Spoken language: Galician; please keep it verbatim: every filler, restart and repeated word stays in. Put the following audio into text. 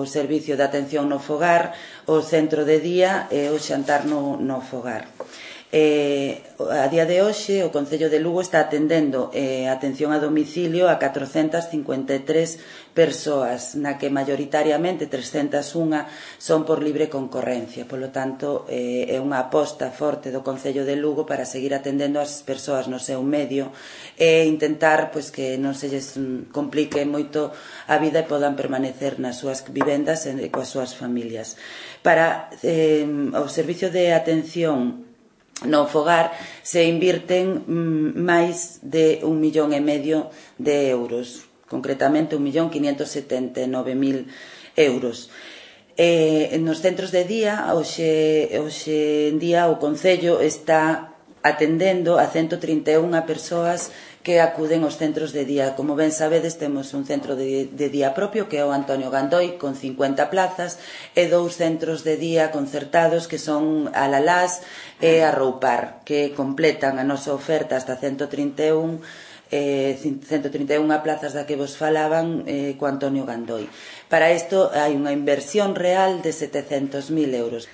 o servicio de atención no fogar, o centro de día e o xantar no, no fogar. Eh, a día de hoxe o Concello de Lugo está atendendo eh, atención a domicilio a catrocentas cincuenta e tres persoas, na que maioritariamente trescentas e un son por libre concorrencia. Polo tanto, eh, é unha aposta forte do Concello de Lugo para seguir atendendo as persoas no seu medio e intentar pois, que non se lles complique moito a vida e podan permanecer nas súas vivendas e coas súas familias. Para eh, o servicio de atención no fogar se invirten mm, máis de un millón e medio de euros, concretamente un millón quinientos setenta e nove mil euros. Eh, nos centros de día, hoxe, hoxe en día o Concello está atendendo a ciento trinta e unha persoas que acuden aos centros de día. Como ben sabedes, temos un centro de, de día propio, que é o Antonio Gandoi, con cincuenta plazas, e dous centros de día concertados, que son Alalás e Arroupar, que completan a nosa oferta hasta ciento trinta e un, eh, ciento trinta e unha plazas da que vos falaban eh, co Antonio Gandoi. Para isto hai unha inversión real de setecentos mil euros.